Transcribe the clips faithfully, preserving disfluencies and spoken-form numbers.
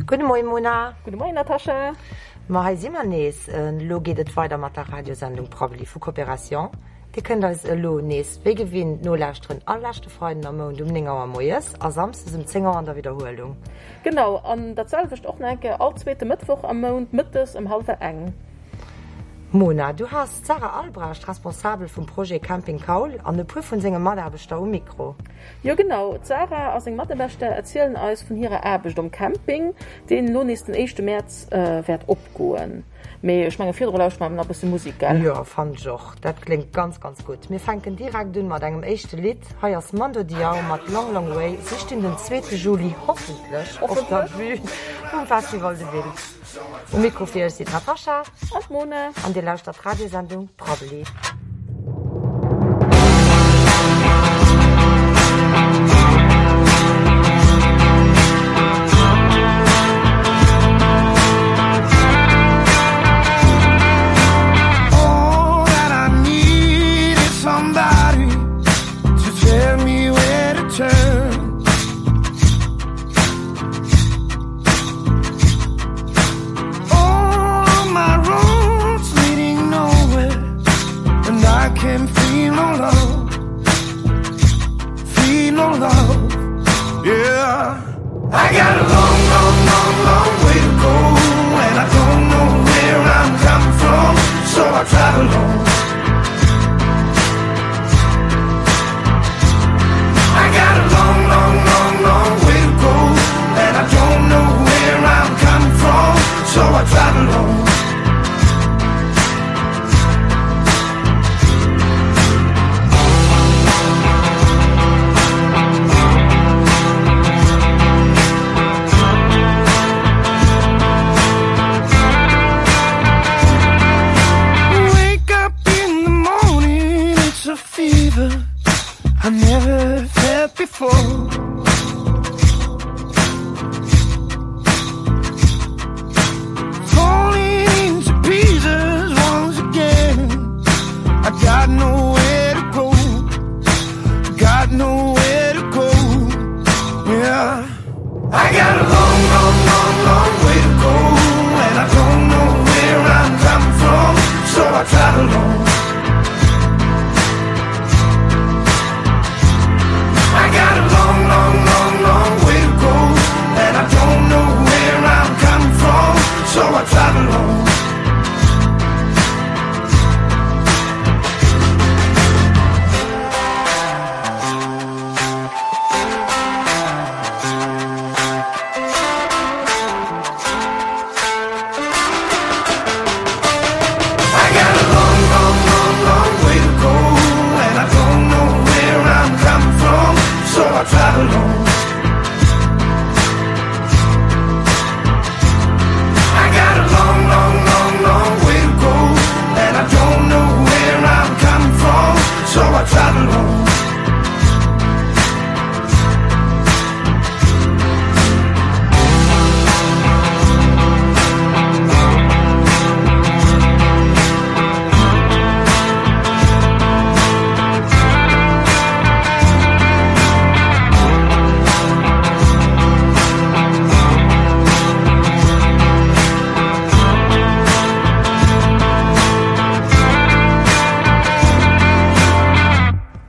Gudde Moien Mona. Gudde Moien Natascha. Ma hei si mer nees. Elo geet et weider mat der Radiosendung Prabbeli vu Coopération. Dir kënnt eis elo nees wéi gewinnt nolauschteren all leschte Freiden am Mount um néng Auer moies a samsdes um zéng Auer an der Widderhuelung. Genau, an dat selwecht och nach eng Kéier all zweete Mëttwoch am Mount mëttes ëm hallwer eng. Mona, du has d'Sarah Albrecht, Responsabel vum Projet Camping Kaul, an e puer vun senge Mataarbechter um Mikro. Jo genau, d'Sarah a seng Mataarbechter erzielen eis vun hirer Aarbecht um Camping, deen elo nees den éischte Mäerz wäert opgoen. Mee ech menge virdru lauschteren mer awer nach e bësse Musek, gell? Jo, fannen ech och. Dat kléngt ganz, ganz gutt. Mir fänken direkt un mat engem éischte Lidd. Hei ass Mando Diao mat Long Long Way. Si stinn den zweete Juli hoffentlech op der Bühn vum Festival de Wiltz. Um Mikro fir iech sinn d'Natascha an d'Mona an dir lauschtert d'Radiosendung Prabbeli.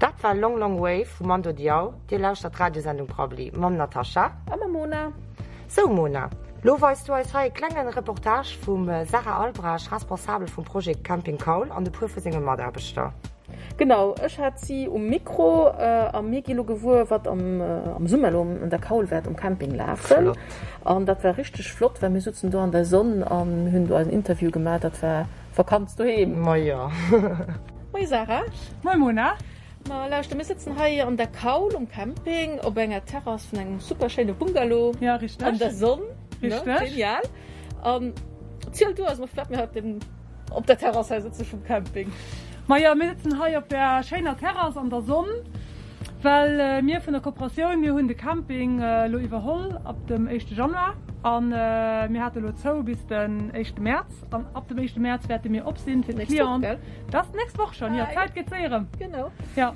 Dat war Long Long Way vu Mando Diao. Dir lauschtert d'Radiosendung Prabbeli mam Natascha. A mam Mona. Sou Mona, lo weis du eis hei e klengen Reportage vum Sarah Albrecht, Responsabel vum Projet Camping Kaul an e puer vu senge Mataarbechter. Genau, ech hat si um Mikro a mir gi lo gewuer, wat am Summer lo an der Kaul wäert um Camping lafen. An dat war richteg flott, well mir sutzen do an der Sonn an hunn do eisen Interview gemaach. Dat war Vakanz doheem. Ma jo. Moie Sarah. Moie Mona. Ma lauschter, mir sëtzen hei an der Kaul um Camping op enger Terrass vun engem super schéine Bungalow. Ja, richteg. An der Sonn. Richteg. Genial. An ziel du eis mol, firwat mir haut den op der Terrass hei sëtze vum Camping. Ma jo, mir sëtzen hei op der schéiner Terrass an der Sonn, well mir vun der Kooperatioun, mir hunn de Camping elo iwwerholl ab dem éischte Januar a mir hate elo zou bis den éischte Mäerz an ab dem éischte Mäerz wäerte mir op sinn fir d'Clienten. Dat ass d'nächst Woch schonn, jo, d'Zäit geet séier ëm. Genau. Jo.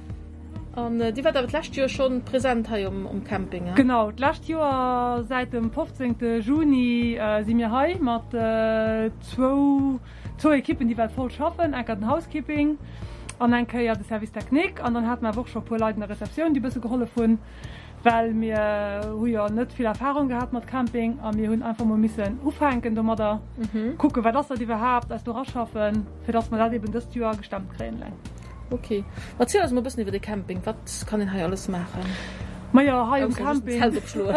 An Dir waart awer d'lescht Joer schonn present hei um Camping, he? Genau, d'lescht Joer säit dem fofzéngte Juni si mir hei mat zwou zwou Ekippen, déi well voll schaffen, eng Kéier den Housekeeping an eng Kéier de Service technique. An dann hate mer awer och scho e puer Leit an der Receptioun, déi e bësse gehollef hunn, well mir hu jo net vill Erfarung gehat mat Camping a mir hunn einfach mol missen ufänken domadder, kucken, wat ass dat iwwerhaapt, eis do eraschaffen, fir dass mer dat eben dëst Joer gestemmt kréien eleng. Ok, erziel eis mol e bëssen iwwer de Camping. Wat kann een hei alles maachen? Majo, hei um Camping. Zelt opschloen.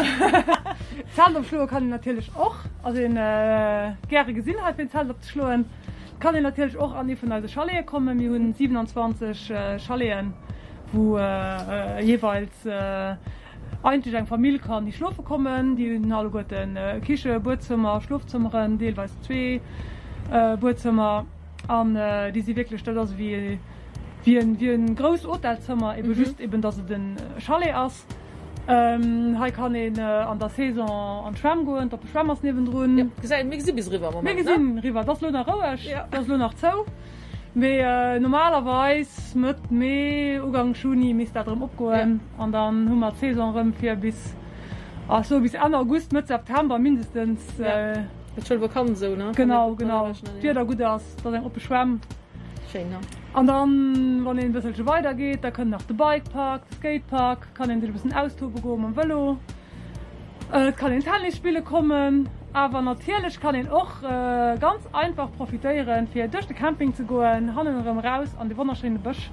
Zelt opschloe kann een natierlech och. Ass een gäre gesinn hei fir en Zelt opzeschloen. Et kann een natierlech och an ee vun eise Chalete kommen. Mir hunn siwenanzwanzeg Chaleten, wou jeeweils eigentlech eng Famill kann hi schlofe kommen. Déi hunn alleguerten Kiche, Buedzëmmer, Schlofzëmmeren, deelweis zwee Buedzëmmer. An déi si wierklech, dat ass ewéi wéi en wéi en grousst Hotelzëmmer, ebe just eben dass et en Chalet ass. Hei kann een an der Saison an d'Schwämm goen, d'oppe Schwämm ass niewendrun. Jo, gesäit, mir gesi bis eriwwer am Moment, ne? Mir gesinn eriwwer, et ass elo nach roueg, et ass elo nach zou, mee normalerweis Mëtt Mee, Ugank Juni misst dat erëm opgoen an dann hu mer d'Saison erëm fir bis, ech soe bis Enn August, Mëtt September mindestens. Et schoul Vakanz esou, ne? Genau, genau, d'Wieder gutt ass, et ass eng oppe Schwämm. Schéin, ne? An dann, wann een e bësselche weider geet, da kënnt nach de Bikepark, de Skatepark, kann een sech e bëssen austobe goe mam Vëlo. Et kann een Tennis spille kommen, awer natierlech kann een och ganz einfach profitéieren, fir duerch de Camping ze goen, hannen erëm eraus an de wonnerschéine Bësch.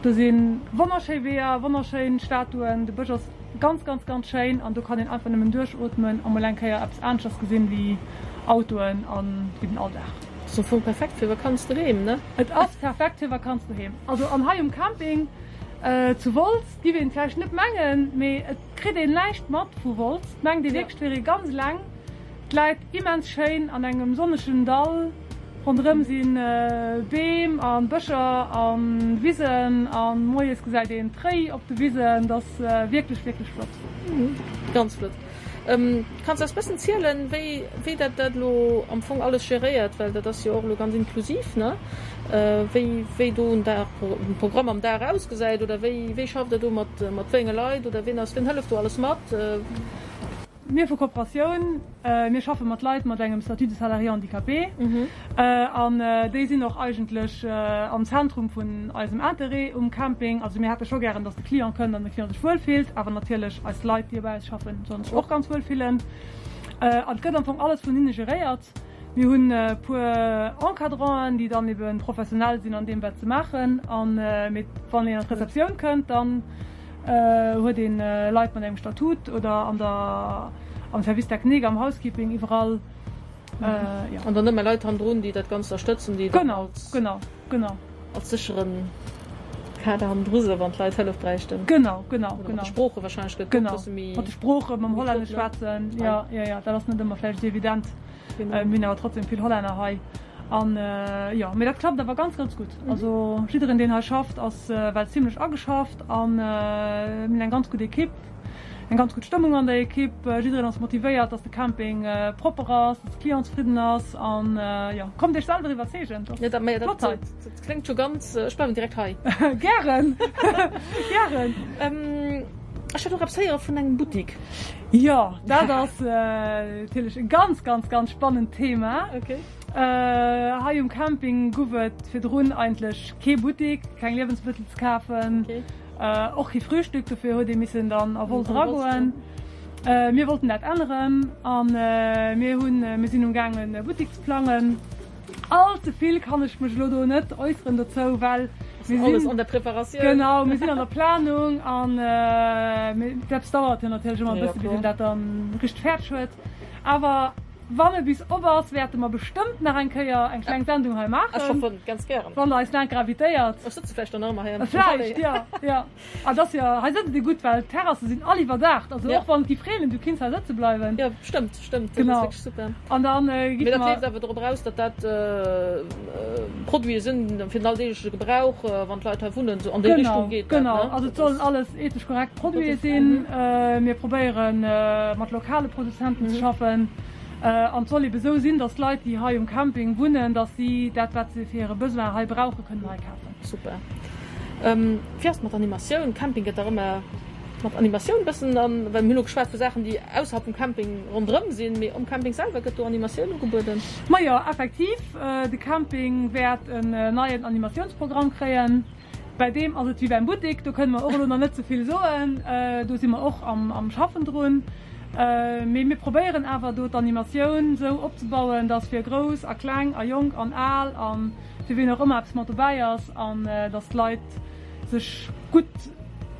Do si wonnerschéi Weeër, wonnerschéin Statuen, de Bësch ass ganz, ganz, ganz schéin an do kann een einfach nëmmen duerchootmen a mol eng Kéier eppes aneschters gesinn wéi Autoen an wéi den Alldag. Ass am Fong perfekt fir Vakanz doheem, ne? Et ass perfekt fir Vakanz doheem. Also an hei um Camping zu Wolz giff een vläicht net mengen, mee et kritt een näischt mat vu Wolz. Et mengt ee wierklech et wier ee ganz eleng. Et läit immens schéin an engem sonnegen Dall. Ronderëm si Beem a Bëscher a Wisen a moies gesäit een d'Réi op de Wisen. Et ass wierklech, wierklech flott. Ganz flott. Kanns eis bëssen zielen, wéi wéi dat dat elo am Fong alles geréiert, well dat ass jo och elo ganz inklusiv, ne? Wéi wéi do en Dag, en Programm am Dag ausgesäit oder wéi wéi schafft der do mat mat wéi enge Leit oder wien ass wien hëlleft do alles mat? Mir vu Kooperatioun, mir schaffe mat Leit mat engem Statut de salarié handicapé an déi sinn och eigentlech am Zentrum vun eisem Interêt um Camping. Also mir hätte scho gären, datt de Client kënnt an de Client sech wuel fillt, awer natierlech eis Leit, déi bei eis schaffen, sollen sech och ganz wuel fillen. An et gëtt am Fong alles vun hinne geréiert. Mir hunn e puer Encadranten, déi dann ebe professionell sinn an deem, wat se maachen. An mee wann een an d'Receptioun kënnt, dann huet een Leit mat engem Statut oder an der, am Service technique, am Housekeeping, iwwerall, jo. An dann ëmmer Leit hannendrun, déi dat Ganzt ënnerstëtzen, déi dann als. Genau, genau, genau. Als sécheren Kader hannendru sinn, wann d'Leit Hëllef bräichten. Genau, genau, genau. Oder mat de Sprooche wahrscheinlech gëtt et och e bësse méi. Genau, mat de Sproochen, mam Hollännesch schwätzen, jo, jo, jo, dat ass net ëmmer vläicht esou evident. Mir hunn awer trotzdem vill Hollänner hei. An jo, mee dat klappt awer ganz, ganz gutt. Also jiddereen, deen hei schafft, ass well zimlech ageschafft an mir hunn eng ganz gutt Ekipp, eng ganz gutt Stëmmung an der Ekipp. Jiddereen ass motivéiert, dass de Camping propper ass, dass de Client zefridden ass an jo, kommt Iech selwer iwwerzeegen, et ass flott hei. Dat kléngt scho ganz, ech bleiwen direkt hei. Gären, gären. Ech hat och eppes héiere vun engem Buttik. Jo, dat ass natierlech e ganz, ganz, ganz spannend Thema. Okay. Hei um Camping guff et virdrun eigentlech kee Buttik, keng Liewensmëttel ze kafen, och kee Frühstück, dofir huet ee missen dann a Wolz eragoen. Mir wollten dat änneren a mir hunn, mir sinn um gaangen e Buttik ze plangen. All ze vill kann ech mech elo do net äusseren dozou, well mir sinn an der Preparatioun. Genau, mir sinn an der Planung an dat dauert jo natierlech ëmmer e bësse bis een dat dann richteg fäerdeg huet. Awer wann e bis op ass, wäerte mer bestëmmt nach eng Kéier eng kleng Sendung hei maachen. Ech hoffen ganz gären. Wann der eis laang invitéiert. Ech sëtze vläicht dann nach ëmmer hei am Chalet. Vläicht, jo, jo. Ah, et ass jo, hei sëtzt ee gutt, well d'Terrasse sinn all iwwerdaacht. Also och wann et géif reenen, du kinns hei sëtze bleiwen. Jo, stëmmt, stëmmt. Dat ass wierklech super. An dann gi mer. Mee dat leeft awer dorop eraus, datt dat Produite sinn fir den alldeegleche Gebrauch, wann d'Leit hei wunnen, esou an déi Richtung geet dat, ne? Genau, also et sollen alles ethesch korrekt Produite sinn. Mir probéiere mat lokale Produzenten ze schaffen. An et soll ebe sou sinn, datt d'Leit, déi hei um Camping wunnen, datt si dat, wat se fir hire Besoin hei brauchen, kënnen hei kafen. Super. Wéi ass et mat Animatioun? Camping gëtt dach ëmmer mat Animatioun bëssen an, well mir hunn elo geschwat vu Saachen, déi ausserhalb vum Camping ronderëm sinn, mee um Camping selwer gëtt do Animatioun ugebueden? Majo, effektiv, de Camping wäert en neien Animatiounsprogramm kréien. Bäi deem ass et wéi beim Buttik, do kënne mer och elo nach net ze vill soen, do si mer och am Schaffen drun. Mee mir probéieren awer do d'Animatioun esou opzebauen, dass fir Grouss a Kleng a Jonk an Al a fir wien och ëmmer eppes mat dobäi ass an dass d'Leit sech gutt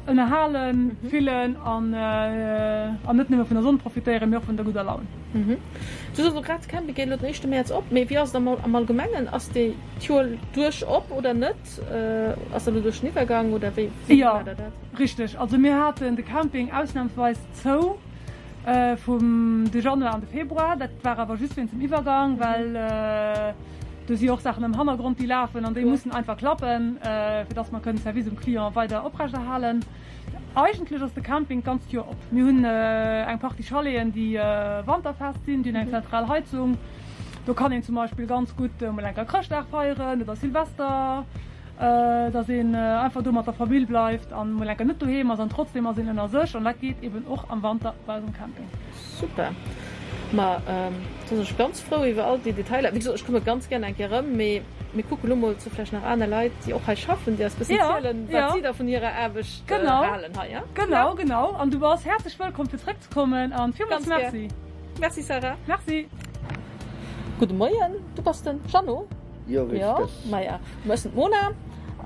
ënnerhale fillen an net nëmme vun der Sonn profitéieren, mee och vun der gudder Laun. Du soss elo grad, de Camping geet elo den éischte Mäerz op, mee wéi ass et am Allgemengen? Ass dee d'Joer duerch op oder net? Ass dat elo duerch den Iwwergang oder wéi maacht der dat? Jo, richteg. Also mir haten de Camping ausnamsweis zou vum de Januar an de Februar. Dat war awer just wéinst dem Iwwergang, well do si och Saachen am Hannergrond, déi lafen an déi mussen einfach klappen, fir dass mer kënnen de Service um Client weider oprechterhalen. Eigentlech ass de Camping d'ganzt Joer op. Mir hunn eng Partie Chaleten, déi wanterfest sinn, déi hunn eng zentral Heizung. Do kann een zum Beispill ganz gutt emol enker Chrëschtdag feieren oder Silvester, dass een einfach do mat der Famill bleift an emol enker net doheem ass an trotzdem ass een ënner sech an dat geet eben och am Wanter bei eis um Camping. Super, ma da sinn ech ganz frou iwwer all déi Detailer. Wéi gesot, ech komme ganz gär eng Kéier erëm, mee mir kucke lo mol zu vläicht nach aner Leit, déi och hei schaffen, déi eis bëssen zielen, wat si da vun hirer Aarbecht halen hei. Genau, genau. An du bass häerzlech wëllkomm fir zréckzekommen an villmools Merci. Merci Sarah. Merci. Gudde Moien, du bass den Jeannot? Jo, richteg. Jo, maja, ech sinn d'Mona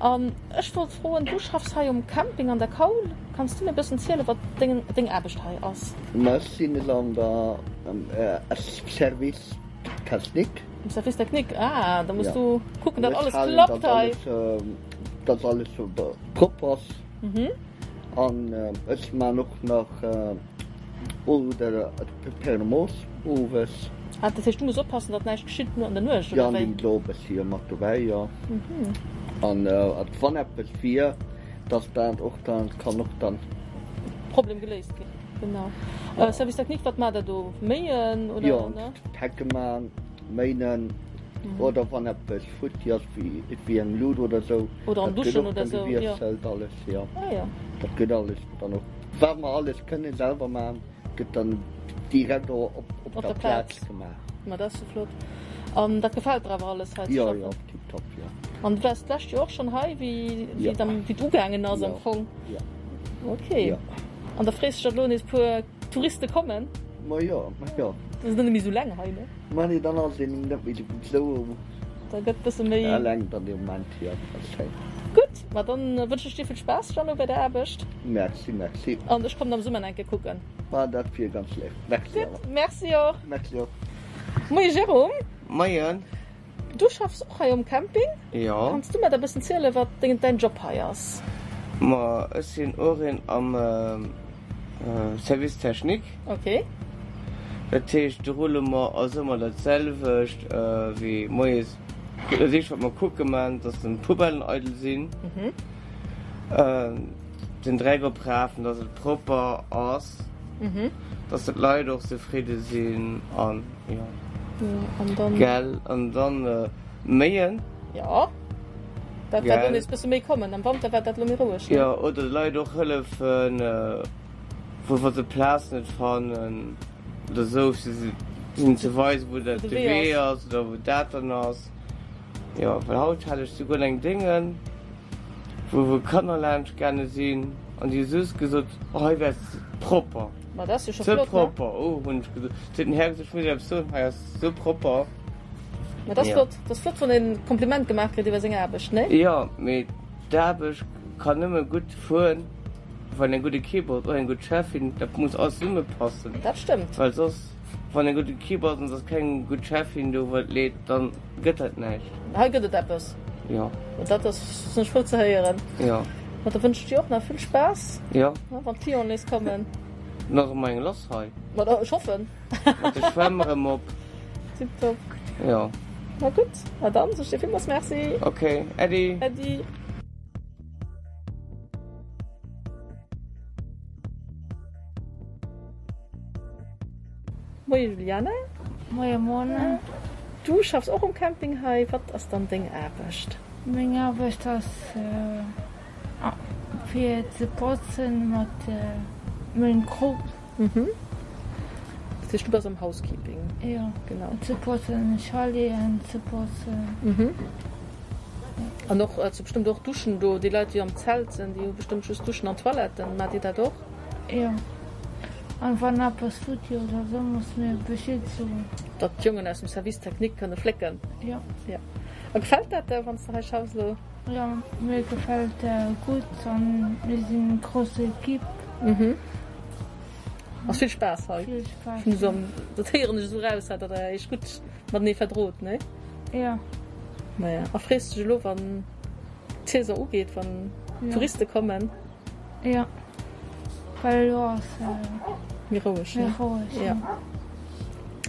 an ech wollt froen, du schaffs hei um Camping an der Kaul, kanns du mir e bëssen zielen, wat deng deng Aarbecht hei ass? Ma ech sinn elo an der Service Technique. Am Service Technique, ah, da muss du kucken, datt alles klappt hei. Datt alles propper ass. An ech man och nach oder Thermos owes. Ah, dat heescht du muss oppassen, datt näischt geschitt no an der Nuecht, oder wéi? Jo, an do e bëssi jo mat dobäi, jo. An wann eppes wier, datt dat och dann kann och dann. Problem geléist ginn, genau. Service technique, wat maacht der do? Méien oder? Jo, d'Hecke man, méinen oder wann eppes futti ass, wéi eng Lut oder sou. Oder an Duschen oder sou, jo. Dat gëtt och dann gewiesselt alles, jo. Ah jo. Dat gëtt alles dann och. Wat mer alles kënne selwer maachen, gëtt dann direkt och op der Plaz gemaach. Ma dat ass jo flott. An dat gefält der awer alles hei ze schaffen? Jo, jo, tiptop, jo. An du waars d'lescht Joer och schonn hei, wéi et ugaangen ass am Fong? Jo. Ok. An da frees dech, datt elo nees e puer Touriste kommen? Ma jo, ma jo. Da ass et net méi esou leng hei, ne? Ma nee, dann ass een net méi esou. Da gëtt bësse méi. Eleng dann dee Moment, jo, dat ass schéin. Gutt, ma dann wënschen ech dir vill Spaass, Jeannot, bei der Aarbecht. Merci, merci. An ech kommen am Summer nach eng Kéier kucken. Ma dat wier ganz léif. Merci awer. Gutt, merci och. Merci och. Moie Jérôme. Moien. Du schaffs och hei um Camping. Jo. Kanns du mer da bëssen zielen, wat deng, däin Job hei ass? Ma ech sinn och een am Service technique. Ok. Dat heescht, de Roulement ass ëmmer dat selwecht wéi moies. Dat éischt wat mer kucke man, dass den Poubellen eidel sinn, den Dreck oprafen, dass et propper ass, dass d'Leit och zefridde sinn an jo. Gell, an dann méien. Jo, dat wäert elo nees bësse méi kommen. Am Wanter war dat elo méi roueg, ne? Jo, oder de Leit och hëllefen, wou wa se d'Plaz net fannen oder esou, fir se hinnen ze weisen, wou dat de Wee ass oder wou dat dann ass. Jo, well haut hat ech souguer eng Déngen, wou wou Kanner laanscht gaange sinn an déi hu just gesot, oh hei wär et propper. Ma dat ass jo scho flott, ne? Ze propper, oh hunn ech gesot. Huet den Här gesot, ech muss Iech eppes soen, hei ass sou propper. Ma dat ass flott. Dat ass flott, wann een e Kompliment gemaach kritt iwwer seng Aarbecht, ne? Jo, mee d'Aarbecht kann nëmme gutt fueren, wann eng gutt Equipe ass, och eng gutt Cheffin. Dat muss alles zesummepassen. Dat stëmmt. Well soss, wann eng gutt Equipe ass an et ass keng gutt Cheffin do, wat leet, dann gëtt dat näischt. Hei gëtt et eppes. Jo. Ma dat ass, sinn ech frou ze héieren. Jo. Ma da wënsch ech dir och nach vill Spaass. Jo. Wann d'Clienten nees kommen. Dann ass erëm eng lass hei. Ma da, ech hoffen. Mat de Schwämm erëm op. Tiptop. Jo. Ma gutt, ma dann soe ech dir villmools Merci. Ok, Äddi. Äddi. Moie Juliane. Moie Mona. Du schaffs och um Camping hei. Wat ass dann deng Aarbecht? Meng Aarbecht ass Fir ze botzen mat mengem Krop. Mhm. Dat heescht, du bass am Housekeeping? Jo. Genau. Ze botzen, Chaleten ze botzen. Mhm. An och ze bestëmmt och Duschen do, déi Leit déi am Zelt sinn, déi hu bestëmmt just Duschen an Toiletten. Maacht Dir dat och? Jo. An wann eppes futti oder sou, muss mir Bescheed soen. Datt d'Jongen aus dem Service technique kënne flécken? Jo. Jo. A gefält dat der, wann s de hei schaffs elo? Jo, mir gefält gutt an mir sinn eng grouss Equipe. Mhm. Ass vill Spaass hei? Vill Spaass, jo. Dat héieren ech esou raus, datt der iech gutt matenee verdrot, nee? Jo. Maja, a frees dech elo wann d'Saison ugeet, wann d'Touriste kommen? Jo, well elo ass méi roueg, ne? Méi roueg, jo.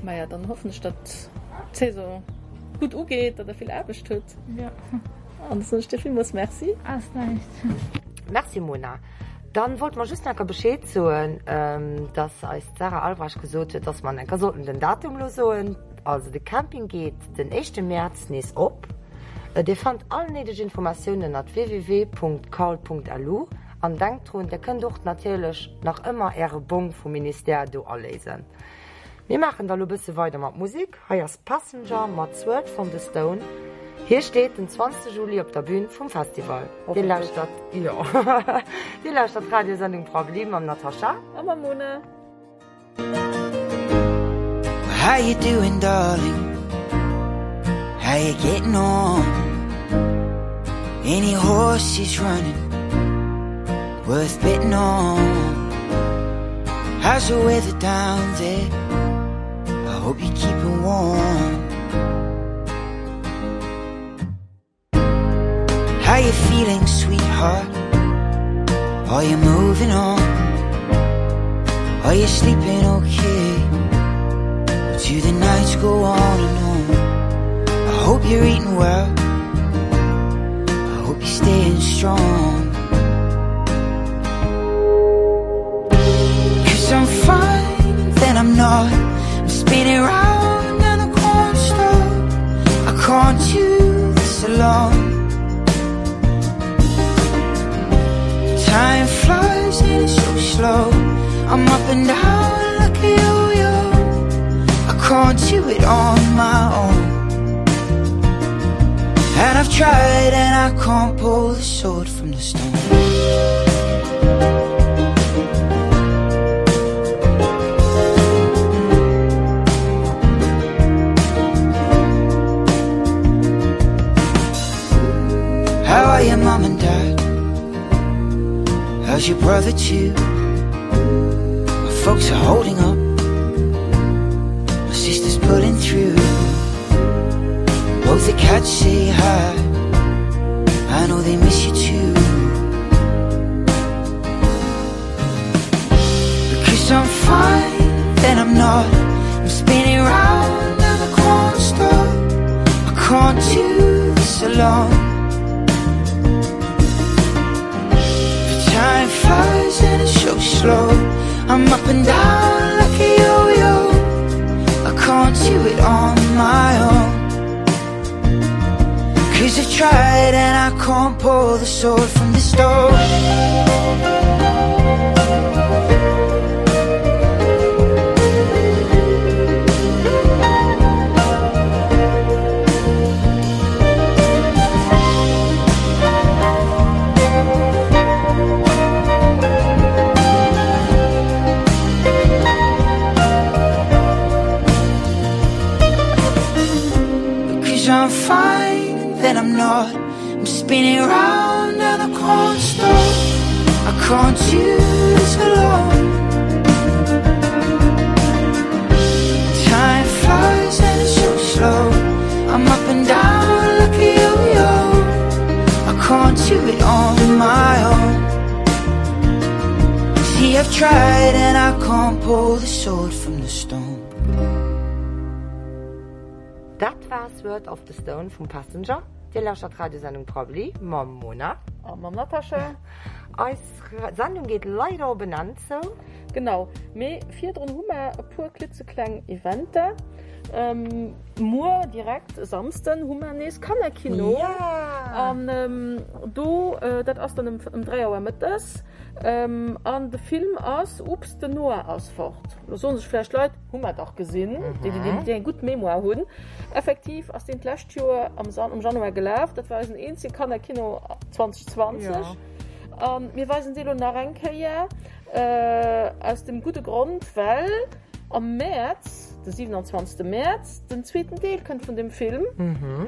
Maja, dann hoffen ech, datt d'Saison gutt ugeet, datt der vill Aarbecht hutt. Jo. An da soen ech dir villmools Merci. Ass näischt. Merci Mona. Dann wollte mer just enker Bescheed soen, dass eis d'Sarah Albrecht gesot huet, dass mer enker sollten den Datum elo soen. Also de Camping geet den éischte Mäerz nees op. Dir fannt all néideg Informatiounen ënnert www.kaul.lu an denkt drun, dir kënnt och natierlech nach ëmmer äre Bong vum Ministère do aléisen. Mir maachen da lo bësse weider mat Musek. Hei ass Passenger mat Sword from the Stone. Hie steet den zwanzegste Juli op der Bühn vum Festival. Dir lauschtert, jo, dir lauschtert d'Radiosendung Prabbeli mam Natascha. A mam Mona. How you doing darling? How you getting on? Any horses running worth betting on? How's the weather down there? I hope you're keeping warm. How you feeling, sweetheart? Are you moving on? Are you sleeping okay? Or do the nights go on and on? I hope you're eating well. I hope you're staying strong. Cause I'm fine, then I'm not. I'm spinning round and I can't stop. I can't do this alone. Time flies and it's so slow. I'm up and down like a yo-yo. I can't do it on my own. And I've tried and I can't pull the sword from the stone. How are your mum and dad? How's your brother too? My folks are holding up. My sister's pulling through. Both the cats say hi. I know they miss you too. Because I'm fine, then I'm not. I'm spinning round and I can't stop. I can't do this alone. The time flies and it's so slow. I'm up and down like a yo-yo. I can't do it on my own. Cause I've tried and I can't pull the sword from the stone. Because I'm fine, then I'm not. I'm spinning round and I can't stop. I can't do this alone. Time flies and it's so slow. I'm up and down like a yo-yo. I can't do it on my own. See, I've tried and I can't pull the sword from the stone. Dat war Sword of the Stone vum Passenger. Dir lauschtert d'Radiosendung Prabbeli mam Mona. A mam Natascha. Eis Sendung geet leider op en Enn zou. Genau, mee virdrun hu mer e puer klitzekleng Eventer. Muer direkt e Samsden hu mer nees Kannerkino. Ja! An do, dat ass dann ëm dräi Auer mëttes. An de Film ass Ups, den Noah ass fort. Lo soen sech vläicht Leit, hu mer dach gesinn, déi, déi eng gutt Mémoire hunn. Effektiv ass deen d'lescht Joer am am Januar gelaf. Dat war eisen eenzege Kannerkino zweitausendzwanzeg. A mir weisen dee lo nach eng Kéier, aus dem gudde Grond, well am Mäerz, de siewenundzwanzegste Mäerz, den zweeten Deel kënnt vun deem Film,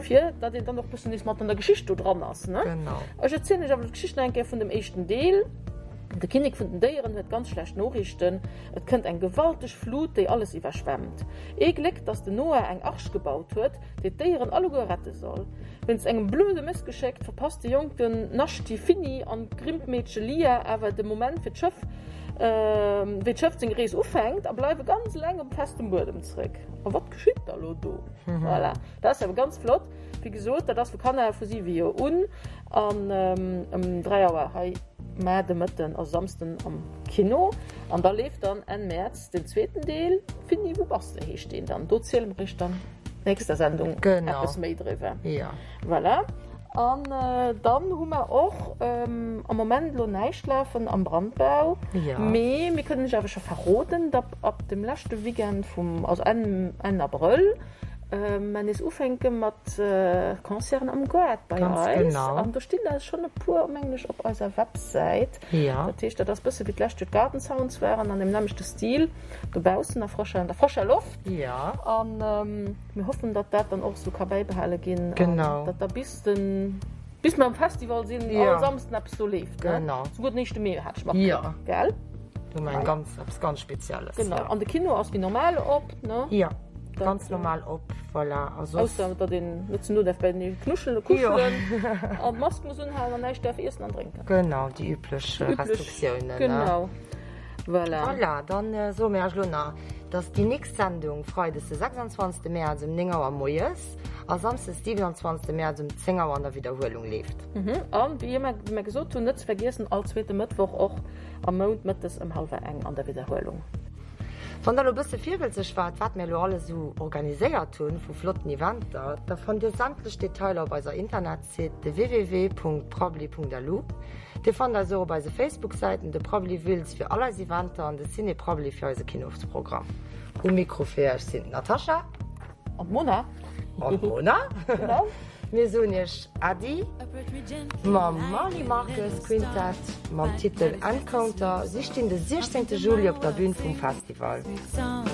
fir datt een dann och bëssen nees mat an der Geschicht do dran ass, ne? Genau. Ech erzielen iech awer d'Geschicht nach eng Kéier vun dem éischten Deel. De Kinnek vun den Déieren huet ganz schlecht Noriichten. Et kënnt eng gewalteg Flut, déi alles iwwerschwemmt. Ee Gléck, datt den Noah eng Arch gebaut huet, déi d'Déieren alleguer rette soll. Wéinst engem blöde Mëssgeschéck verpasst de jonken Naschti Finny an d'Grimpmeedche Lia awer de Moment fir d'Schëff, wéi d'Schëff seng Rees ufänkt, a bleiwe ganz eleng op festem Buedem zeréck. A wat geschitt da lo do? Voilà, dat ass awer ganz flott. Wéi gesot, dat ass fir Kanner vu siwe Joer un an ëm dräi Auer hei mar de Mëtten, also Samsden am Kino. An da leeft dann Enn Mäerz den zweeten Deel, Finny, wou bass de heescht deen dann. Do ziele mer iech dann nächster Sendung eppes méi driwwer. Voilà. An dann hu mer och am Moment elo näischt lafen am Brandbau, mee mir kënnen iech awer scho verroden, datt ab dem leschte Weekend vum, also Enn, Enn Abrëll, mer nees ufänke mat Concerten am Gaart bei eis. An do stinn der schonn e puer, mengen ech, op eiser Websäit. Dat heescht, dat ass bësse wéi d'lescht Joer d'Garden Sounds waren, an deem nämmlechte Stil, dobaussen a frëscher, an der frëscher Loft. An mir hoffen, datt dat dann och esou ka bäibehale ginn. Genau. An datt da bis den, bis mer am Festival sinn, all Samsden eppes do leeft. Genau. Souguer den éischte Mee hat ech matkritt, gell? Do hu mer eng ganz, eppes ganz Spezielles. Genau. An de Kino ass wéi normal op, ne? Jo, ganz normal op, voilà. A soss. Ausser datt een net ze no däerf beienee knuschelen, kuschelen an d'Mask muss unhalen an näischt däerf iessen an drénken. Genau, déi üblech Restriktiounen, ne? Genau. Voilà. Voilà, dann soe mir iech elo nach, dass déi nächst Sendung freides de sechsundzwanzegste Mäerz um néng Auer moies a samsdes siewenundzwanzegste Mäerz um zéng Auer an der Widderhuelung leeft. An wéi ëmmer, wéi mir gesot hunn, net ze vergiessen, all zweete Mëttwoch och am Mount mëttes ëm hallwer eng an der Widderhuelung. Wann der elo bësse virwëlzeg waart, wat mir elo alles esou organiséiert hunn vu flotten Eventer, da fannt dir sämtlech Detailer op eiser Internetsite www.prabbeli punkt lu. Dir fannt eis och op eise Facebook-Säiten, de Prabbeli Wiltz fir all eis Eventer an de Ciné Prabbeli fir eise Kinosprogramm. Um Mikro fir iech sinn d'Natascha. An d'Mona. An d'Mona. Genau. Mir soen iech Äddi mam Marly Marques Quintet mam Titel Encounter. Si stinn de siechzéngte Juli op der Bün vum Festival.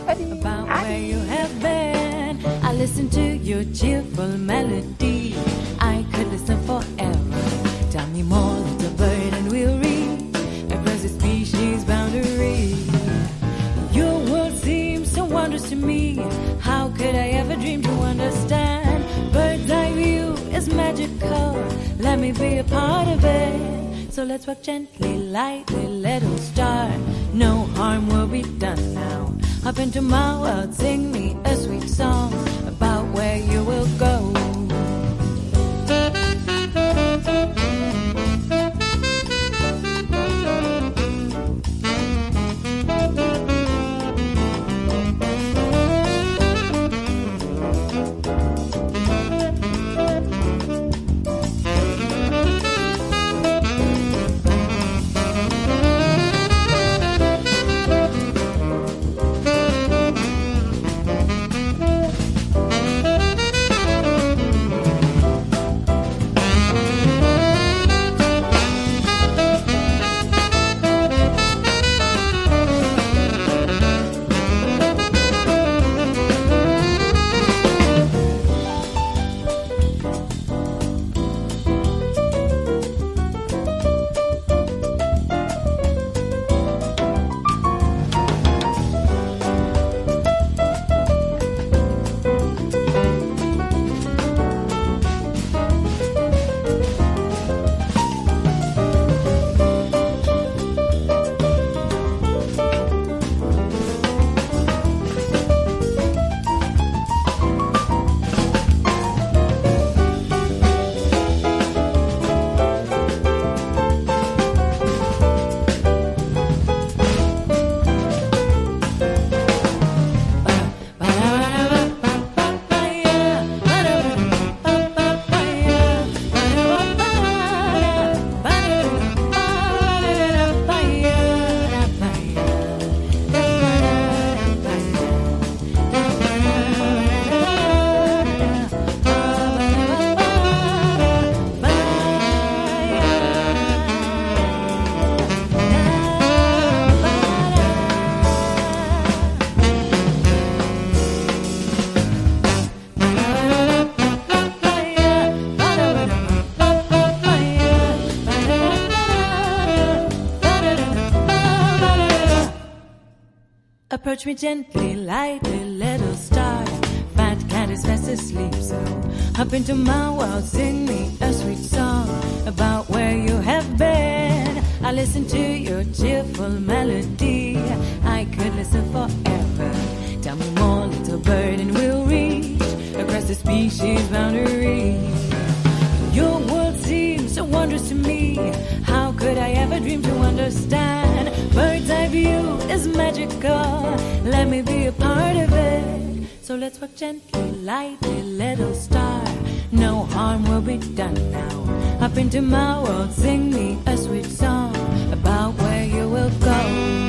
Äddi! Äddi! To me, how could I ever dream to understand? Bird's eye view is magical. Let me be a part of it. So let's walk gently, lightly, little star. No harm will be done now. Hop into my world, sing me a sweet song about where you will go. Approach me gently, lightly, little star. Fat cat is fast asleep, so hop into my world, sing me a sweet song about where you have been. I listen to your cheerful melody. I could listen forever. Tell me more, little bird, and we'll reach across the species boundary. Your world seems so wondrous to me. How could I ever dream to understand? Bird's eye view is magical. Let me be a part of it. So let's walk gently, lightly, little star. No harm will be done now. Up into my world, sing me a sweet song about where you will go.